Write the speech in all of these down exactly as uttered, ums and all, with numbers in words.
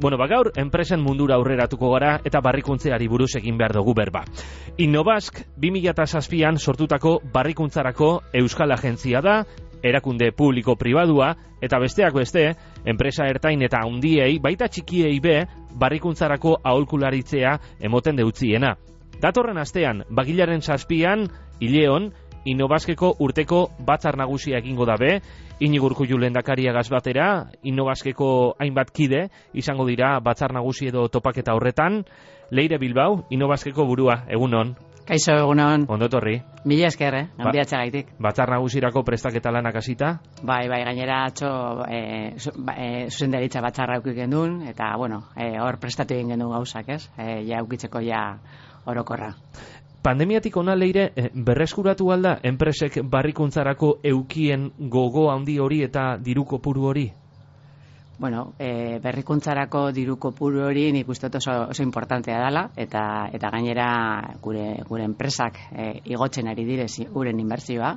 Bueno, ba gaur, enpresen mundura aurreratuko gara eta barrikuntzeari buruz egin behar dugu berba. Innobask bi mila zazpian sortutako barrikuntzarako euskal agentzia da, erakunde publiko-pribadua, eta besteak beste, enpresa ertain eta handiei, baita txikiei be, barrikuntzarako aholkularitzea emoten deutziena. Datorren astean, bagilaren zazpian, Ileon, Innobaskeko urteko batzar nagusia egingo dabe, Inigo Urkullu lehendakariagaz batera, Innobaskeko hainbat kide izango dira batzar nagusi edo topaketa horretan. Leire Bilbao, Innobaskeko burua, egunon. Kaixo, egunon. Ondo etorri. Mila esker, eh? Ba, Handiatxagaitik. Batzar nagusirako prestaketa lanak hasita? Bai, bai, gainera atxo e, zu, e, zuzendaritza batzarra aukik gendun, eta, bueno, e, hor prestatu egin gendu gauzak, ez? E, ja aukitzeko ja orokorra. Pandemiatik ona, Leire, berreskuratu alda enpresek barrikuntzarako eukien gogo handi hori eta diru kopuru hori? Bueno, e, berrikuntzarako diru kopuru hori nik uste oso, oso importantea dela, eta eta gainera gure gure enpresak e, igotzen ari direz uren inbertsioa,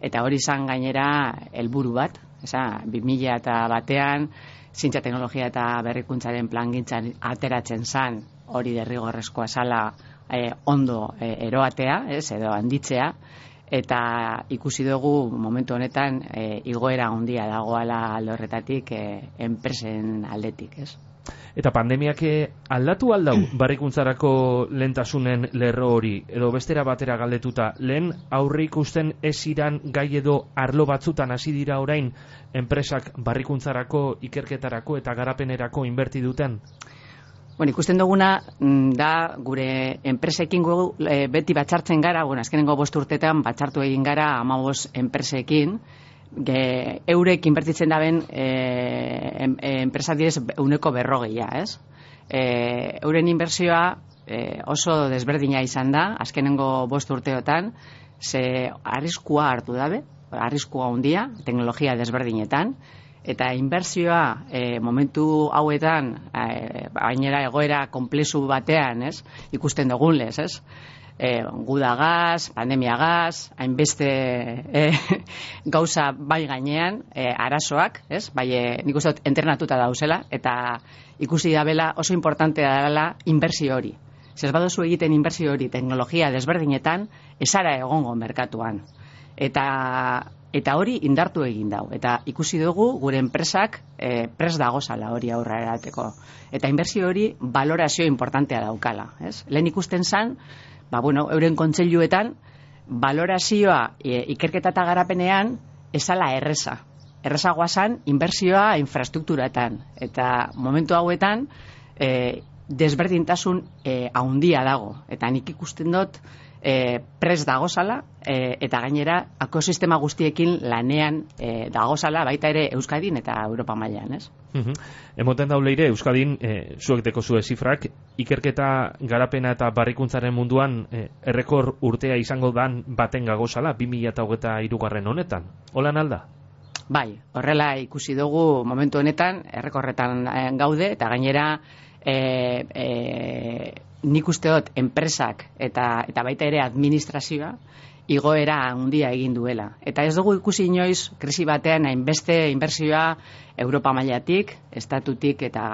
eta hori izan gainera helburu bat, esa, bi mila eta batean, zientzia teknologia eta berrikuntzaren plangintzan ateratzen zan, hori derrigorrezkoa zala, E, ondo e, eroatea, ez, edo handitzea, eta ikusi dugu momentu honetan e, igoera handia dagoala alde horretatik e, enpresen aldetik, ez. Eta pandemiak aldatu aldau barrikuntzarako lehentasunen lerro hori, edo bestera batera galdetuta, lehen aurre ikusten ez iran gai edo arlo batzutan hasi dira orain enpresak barrikuntzarako, ikerketarako eta garapenerako inberti duten? Bueno, ikusten duguna da gure enpresekin gu, e, beti batzartzen gara, bueno, azkenengo bost urtetan batzartu egin gara hamabost enpresekin, ge, eurek inbertitzen daben e, en, enpresa direz euneko berrogeia, ez? E, euren inbertsioa e, oso desberdina izan da, azkenengo bost urteotan, ze arriskua hartu dabe, arriskua handia, teknologia desberdinetan, eta inbertsioa e, momentu hauetan e, bainera egoera konplexu batean, ez? Ikusten dugun lez, ez? E, gudagaz, pandemiagaz, hainbeste e, gauza bai gainean, e, arazoak, ez? Bai, e, nik uste dut entrenatuta dauzela, eta ikusi dabela oso importantea dela inbertsio hori. Zez baduzu egiten inbertsio hori teknologia desberdinetan, esara egongo merkatuan. Eta Eta hori indartu egin dau. Eta ikusi dugu gure enpresak e, pres dagozala hori aurra erateko. Eta inbertsio hori valorazio importantea daukala. Ez? Lehen ikusten zan, ba, bueno, euren kontseiluetan, valorazioa e, ikerketa eta garapenean esala erreza. Errezagoa zan, inbertsioa infrastrukturatan. Eta momentu hauetan, e, desberdintasun e, haundia dago. Eta nik ikusten dut, E, pres dagozala e, eta gainera ekosistema guztiekin lanean e, dagozala baita ere Euskadin eta Europa mailan, ez? Uh-huh. Emoten dauleire Euskadin e, zuek deko zue zifrak, ikerketa garapena eta barrikuntzaren munduan e, errekor urtea izango dan baten gagozala bi mila hogeita hirugarren honetan. Holan alda? Bai, horrela ikusi dugu momentu honetan errekorretan gaude eta gainera e, e, nik uste dut enpresak eta, eta baita ere administrazioa igoera handia egin duela. Eta ez dugu ikusi inoiz krisi batean hainbeste inbertsioa Europa mailatik, estatutik eta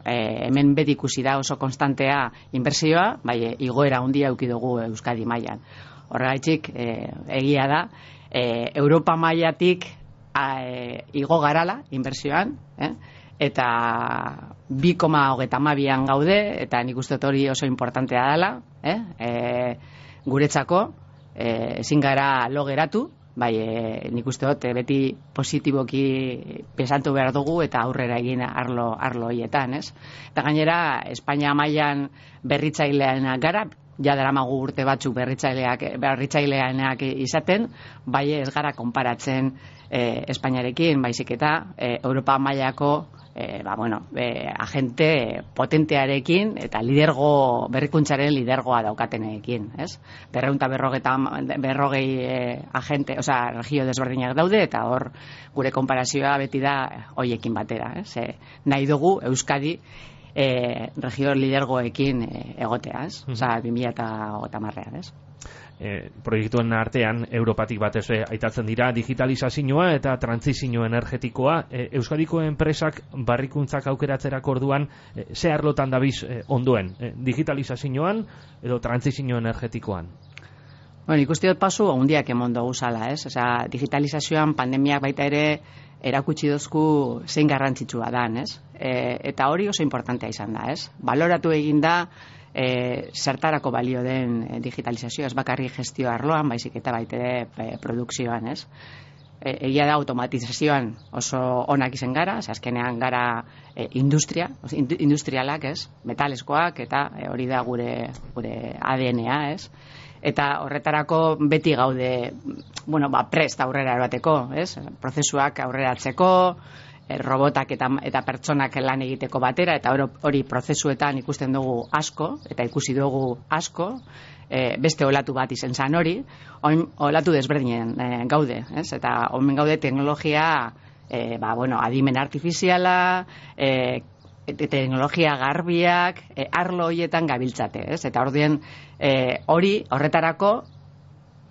e, hemen beti ikusi da oso konstantea inbertsioa, bai igoera handia eduki dugu Euskadi mailan. Horregatik e, egia da e, Europa mailatik e, igo garala inbertsioan, eh? Eta bi koma hogeita hamabian gaude, eta nik uste hori oso importantea dela, eh? E, guretzako, e, ezin gara lo geratu, bai, e, nik uste dut beti positiboki pensatu behar dugu eta aurrera egin arlo, arlo hoietan, ez? Eta gainera, Espainia mailan berritzaileanak gara, ja daramagu urte batzuk berritzaileak, berritzaileanak izaten, bai ez gara konparatzen e, Espainiarekin, baizik eta e, Europa mailako E, ba, bueno, e, agente potentearekin eta lidergo, berrikuntzaren lidergoa daukatenekin, ez? Berreunta berrogei e, agente, osea, regio desberdinak daude, eta hor gure konparazioa beti da hoiekin batera, ez? E, nahi dugu Euskadi e, regio lidergoekin e, egotea, ez? Osea, bi mila hogeita hamarrean, ez? e, proiektuen artean Europatik batez ere aitatzen dira digitalizazioa eta trantsizio energetikoa. E, Euskadiko enpresak barrikuntzak aukeratzerako orduan e, ze arlotan dabiz e, ondoen, e, digitalizazioan edo trantsizio energetikoan? Bueno, ikusti dut pasu handiak emon dugu zala, ez? Osea, digitalizazioan pandemiak baita ere erakutsi dozku zein garrantzitsua dan, ez? E, eta hori oso importantea izan da, ez? Baloratu egin da e, zertarako balio den e, digitalizazioa, ez bakarri gestio arloan, baizik eta baita ere e, produkzioan, ez? E, egia da automatizazioan oso onak izen gara, ez azkenean gara e, industria, industrialak, ez? Metaleskoak eta e, hori da gure, gure A D N-a, ez? Eta horretarako beti gaude, bueno, ba, prest aurrera erateko, ez? Prozesuak aurreratzeko, e, robotak eta, eta pertsonak lan egiteko batera, eta hori prozesuetan ikusten dugu asko, eta ikusi dugu asko, e, beste olatu bat izen zan hori, oin olatu desberdinen e, gaude, ez? Eta omen gaude teknologia, e, ba, bueno, adimen artifiziala, e, teknologia garbiak, e, arlo horietan gabiltzate, ez? Eta ordien e, hori horretarako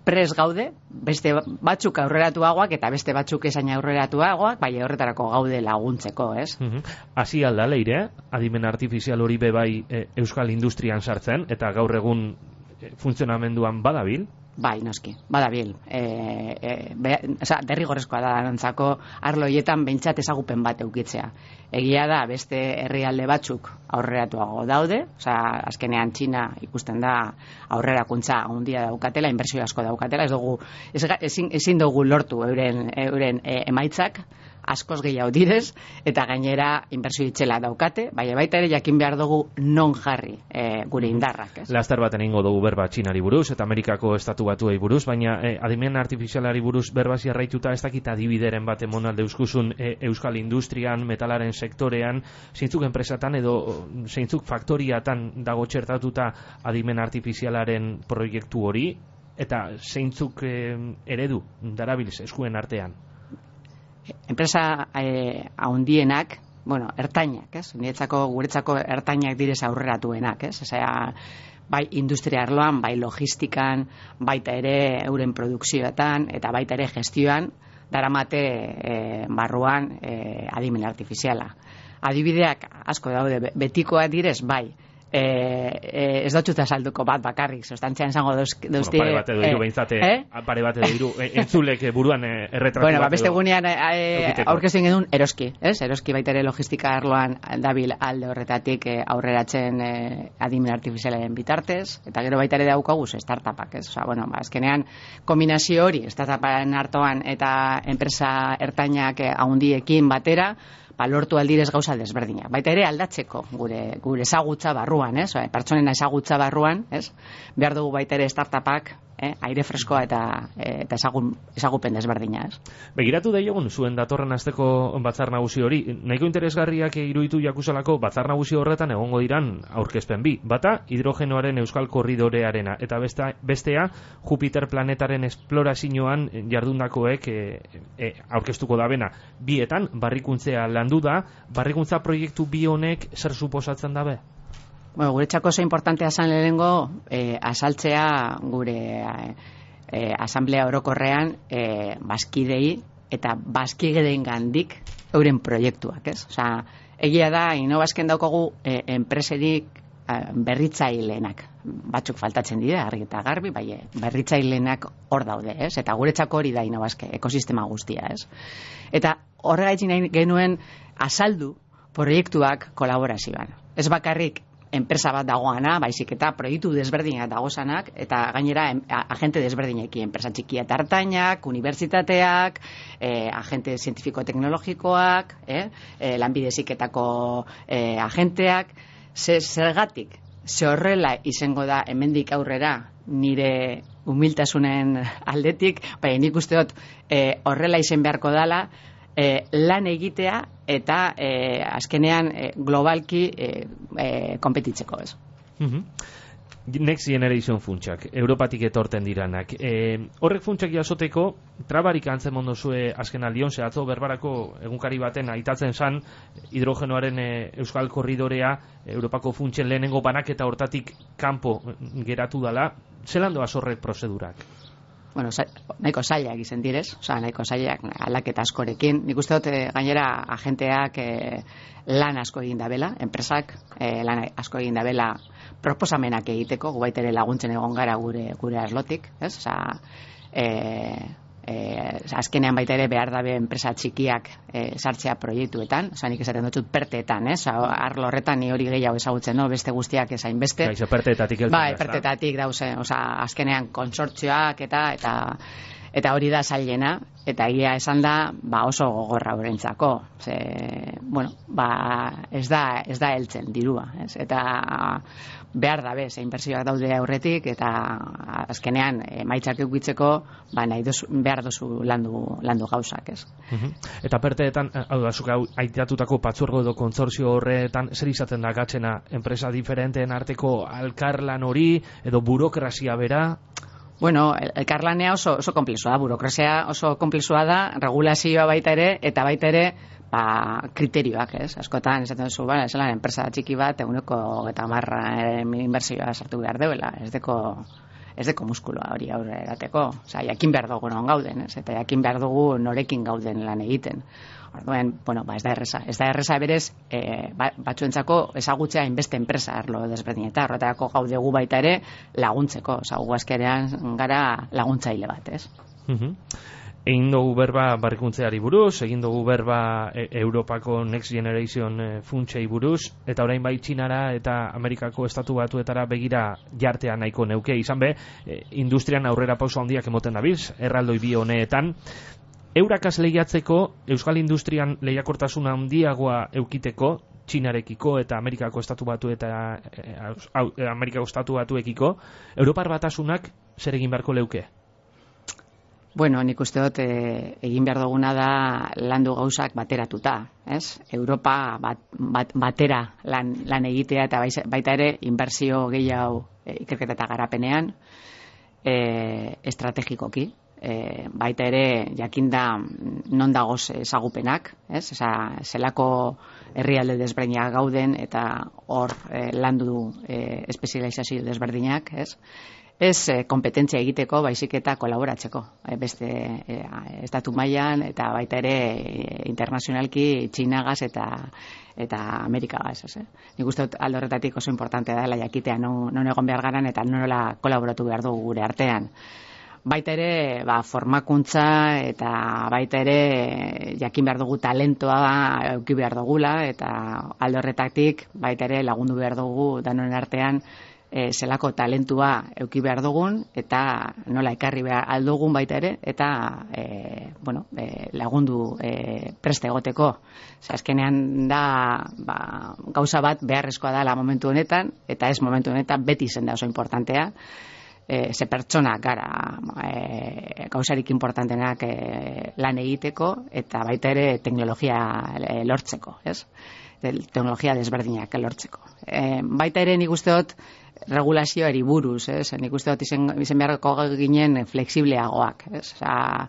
pres gaude, beste batzuk aurreratuagoak eta beste batzuk esain aurreratuagoak, bai horretarako gaude laguntzeko, ez? Hasi uh-huh. alda leire, adimen artifizial hori bebai e, euskal industrian sartzen, eta gaur egun e, funtzionamenduan badabil? Bai, noski, badabil. E, e, be, oza, derrigorrezkoa da dantzako arlo horietan behintzat ezagupen bat eukitzea. Egia da, beste herrialde batzuk aurreratuago daude, oza, azkenean Txina ikusten da aurrerakuntza handia daukatela, inbertsio asko daukatela, ez dugu, ez, ezin, ezin dugu lortu euren, euren e, emaitzak, askoz gehiago direz, eta gainera inbertsio itxela daukate, baina baita ere jakin behar dugu non jarri e, gure indarrak, ez? Laster baten ingo dugu berba Txinari buruz, eta Amerikako estatu batuei buruz, baina e, adimen artifizialari buruz berbasi arraituta ez dakit adibideren bat emonalde euskuzun e, euskal industrian, metalaren sektorean, zeintzuk enpresatan edo zeintzuk faktoriatan dago txertatuta adimen artifizialaren proiektu hori, eta zeintzuk e, eredu darabilz eskuen artean? Enpresa eh, haundienak, bueno, ertainak, ez? Niretzako, guretzako ertainak direz aurreratuenak, ez? Osea, bai industria arloan, bai logistikan, baita ere euren produkzioetan, eta baita ere gestioan, daramate eh, barruan eh, adimen artifiziala. Adibideak asko daude, betikoa direz, bai, E, e, ez dutxuta salduko bat bakarrik, sustantzian izango dauzti... Bueno, pare bat edo iru behintzate, eh? pare bat edo iru, entzulek buruan erretratu bueno, bat ba, beste edo... gunean e, aurkezten genuen eroski, ez? Eroski baita ere logistika arloan dabil alde horretatik e, aurreratzen e, adimen artifizialaren bitartez, eta gero baita ere daukaguz startupak, ez? Osa, bueno, ba, azkenean kombinazio hori, startuparen hartoan eta enpresa ertainak e, haundiekin batera, ba, lortu aldirez gauza desberdinak. Baita ere aldatzeko gure gure ezagutza barruan, ez? Pertsonena ezagutza barruan, ez? Behar dugu baita ere startupak, eh? aire freskoa eta e, eta ezagun, ezagupen desberdina, ez? Begiratu daiogun zuen datorren asteko batzar nagusi hori, nahiko interesgarriak iruditu jakusalako batzar nagusi horretan egongo diran aurkezpen bi. Bata, hidrogenoaren euskal korridorearena, eta besta, bestea, Jupiter planetaren esplorazioan jardundakoek e, e, aurkeztuko da bena. Bietan, barrikuntzea landu da, barrikuntza proiektu bi honek zer suposatzen dabe? Bueno, guretzako oso importantea zan lehenengo eh, asaltzea gure eh, eh, asamblea orokorrean eh, baskidei eta baskigedeen gandik euren proiektuak, ez? Osea, egia da, inobazken daukagu eh, enpreserik eh, berritzaileenak. Batzuk faltatzen dira, argi eta garbi, bai, berritzaileenak hor daude, ez? Eta guretzako hori da inobazke, ekosistema guztia, ez? Eta horregatik nahi genuen azaldu proiektuak kolaborazioan. Ez bakarrik enpresa bat dagoana, baizik eta proiektu desberdinak dagozanak, eta gainera agente desberdinekin, enpresa txikia eta hartainak, unibertsitateak, eh, agente zientifiko-teknologikoak, eh, eh, lanbide heziketako eh, agenteak, zergatik, ze horrela izango da hemendik aurrera nire humiltasunen aldetik, bai, nik uste dut eh, horrela izen beharko dala, E, lan egitea eta e, azkenean e, globalki e, e, konpetitzeko, ez. Uh-huh. Next Generation funtsak, Europatik etorten diranak. E, horrek funtsak jasoteko, trabarik antzen mondozue azken aldion, ze atzo berbarako egunkari baten aitatzen zan, hidrogenoaren e, Euskal Korridorea, Europako funtsen lehenengo banaketa hortatik kanpo geratu dala. Zelan doaz horrek prozedurak? Bueno, sa, nahiko zailak izen direz, oza, nahiko zailak aldaketa askorekin. Nik uste dut, gainera, agenteak e, lan asko egin dabela, enpresak e, lan asko egin dabela proposamenak egiteko, gu baitere laguntzen egon gara gure gure aslotik, ez? Oza, e, e, azkenean baita ere behar dabe enpresa txikiak e, sartzea proiektuetan, oza, nik esaten dutxut perteetan, ez? Oza, arlo horretan ni hori gehiago ezagutzen, no? Beste guztiak ezain beste. Gaizo, perteetatik eltzen. Bai, perteetatik dauze, oza, azkenean konsortzioak eta eta eta hori da zailena, eta egia esan da, ba oso gogorra horrentzako. Ze, bueno, ba ez da ez da heltzen dirua, ez? Eta behar dabe, ze inbertsioak daude aurretik, eta azkenean emaitzak edukitzeko, ba nahi dozu, behar dozu landu, landu gauzak, ez? Uh-huh. Eta perteetan, hau da, zuk aitatutako patzuergo edo kontzortzio horretan, zer izaten da gatzena enpresa diferenteen arteko alkarlan hori, edo burokrazia bera? Bueno, elkarlanea oso, oso komplexua da, burokrazia oso komplexua da, regulazioa baita ere, eta baita ere, ba, kriterioak, ez? Askotan, esaten duzu, ba, esalan, enpresa txiki bat, eguneko eta marra inbertsioa sartu behar deuela, ez deko, ez deko muskuloa hori aurre erateko. Osa, jakin behar dugu non gauden, ez? Eta jakin behar dugu norekin gauden lan egiten. Orduan, bueno, ba, ez da erreza. Ez da erreza berez, e, ba, batzuentzako ezagutzea inbeste enpresa arlo desberdin, eta horretarako gaudegu baita ere laguntzeko. Osa, gu azkenean gara laguntzaile bat, ez? Uh-huh. Egin dugu berba barrikuntzeari buruz, egin dugu berba e, Europako Next Generation e, funtsei buruz, eta orain bai Txinara eta Amerikako estatu batuetara begira jartea nahiko neuke. Izan be, e, industrian aurrera pauso handiak emoten dabiz, erraldoi bi honeetan. Eurakaz lehiatzeko, Euskal Industrian lehiakortasuna handiagoa eukiteko, Txinarekiko eta Amerikako estatu batu eta e, Amerikako estatu batuekiko, Europar Batasunak zer egin beharko leuke? Bueno, nik uste dut e, egin behar duguna da landu gauzak bateratuta, ez? Europa bat, bat, batera lan, lan egitea eta baita ere inbertsio gehiago e, ikerketa eta garapenean e, estrategikoki. E, baita ere jakinda non dagoz ezagupenak, ez? Esa, zelako herrialde desberdinak gauden eta hor e, landu e, espezializazio desberdinak, ez? Ez eh, kompetentzia egiteko, baizik eta kolaboratzeko. Eh, beste eh, estatu mailan eta baita ere eh, internazionalki Txinagaz eta eta Amerikagaz. Ez, eh? Nik uste dut alde horretatik oso importante dela jakitea non, non egon behar garan eta nola kolaboratu behar dugu gure artean. Baita ere, ba, formakuntza eta baita ere jakin behar dugu talentoa eduki behar dugula eta alde horretatik baita ere lagundu behar dugu danon artean E, zelako talentua eduki behar dugun eta nola ekarri behar aldugun baita ere eta e, bueno, e, lagundu e, preste egoteko. Ze azkenean da ba, gauza bat beharrezkoa dela momentu honetan eta ez momentu honetan beti zen da oso importantea. E, ze pertsona gara e, gauzarik importantenak e, lan egiteko eta baita ere teknologia e, lortzeko, ez? Teknologia desberdinak lortzeko. E, baita ere nik uste dut regulazioari buruz, ez? Nik uste dut izen, izen beharko ginen fleksibleagoak, ez? Osa,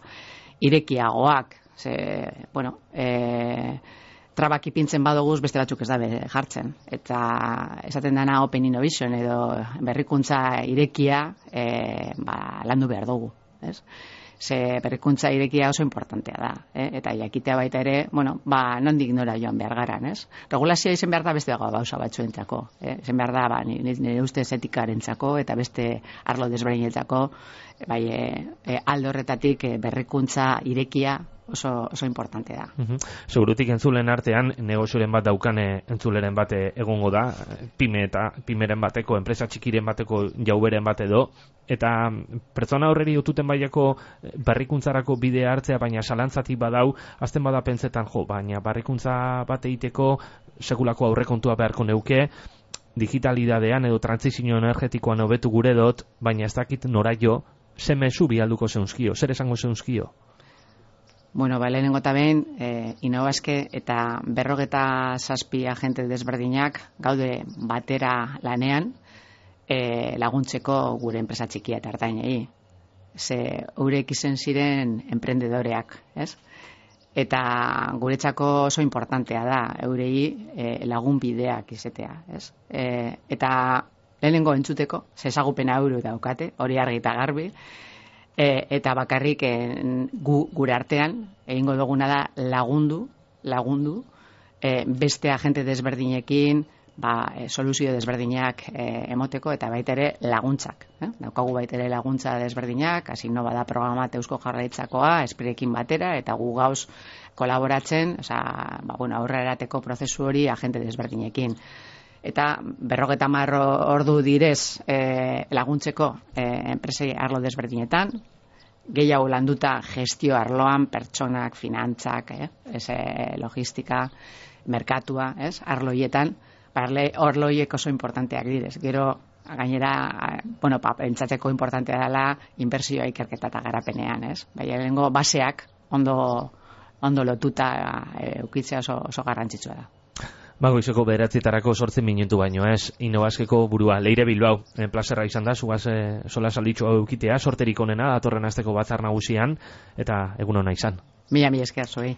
irekiagoak, ze, bueno, e, trabak ipintzen badoguz beste batzuk ez dabe jartzen. Eta esaten dana open innovation edo berrikuntza irekia e, ba, landu behar dugu, ez? Ze berrikuntza irekia oso importantea da, eh? Eta jakitea baita ere, bueno, ba, nondik nora joan behar garan, ez? Regulazioa izen behar da beste dago bauza batzuentzako, eh? Izen behar da, ba, nire ustez etikarentzako eta beste arlo desberdinentzako, bai, e, alde horretatik e, berrikuntza irekia oso, oso importante da. Uh-huh. Segurutik entzulen artean, negozioren bat daukane entzuleren bate egongo da, pime eta pimeren bateko, enpresa txikiren bateko jauberen bat edo, eta pertsona horreri otuten baiako berrikuntzarako bidea hartzea, baina salantzatik badau, azten bada pentsetan, jo, baina berrikuntza bat egiteko sekulako aurrekontua beharko neuke, digitalidadean edo transizio energetikoan hobetu gure dut, baina ez dakit nora jo, zemezu bialduko zeunzkio, zer esango zeunzkio? Bueno, ba, lehenengo eta behin, e, Innobaske eta berrogeta zazpi agente desberdinak gaude batera lanean, e, laguntzeko gure enpresa txikia eta ertainei. Ze eurek izen ziren emprendedoreak, ez? Eta guretzako oso importantea da eurei e, lagun bideak izetea, ez? E, eta lehenengo entzuteko, zezagupena euro daukate, hori argi eta garbi, e, eta bakarrik e, gu, gure artean egingo duguna da lagundu, lagundu, e, beste agente desberdinekin, ba, e, soluzio desberdinak e, emoteko eta baita ere laguntzak. Eh? Daukagu baita ere laguntza desberdinak, Asino bada programa Eusko Jaurlaritzakoa, Esprekin batera, eta gu gauz kolaboratzen, osea, ba, bueno, aurrera erateko prozesu hori agente desberdinekin. Eta berrogeta hamar ordu direz e, laguntzeko e, enpresei arlo desberdinetan, gehiago landuta gestio arloan, pertsonak, finantzak, eh? Ez, e, logistika, merkatua, ez? Arloietan, parle orloiek oso importanteak direz. Gero, gainera, bueno, pa, pentsatzeko importantea dela inbertsioa ikerketa eta garapenean, ez? Baina lehengo baseak ondo, ondo lotuta e, ukitzea oso, oso garrantzitsua da. Bagoizeko bederatzitarako sortzen minutu baino, ez? Innobaskeko burua, Leire Bilbao, en plazerra izan da, zugaz e, sola salditxo eukitea, sorterik onena, datorren asteko batzar nagusian, eta egun ona izan. Mila, mila esker, zoi.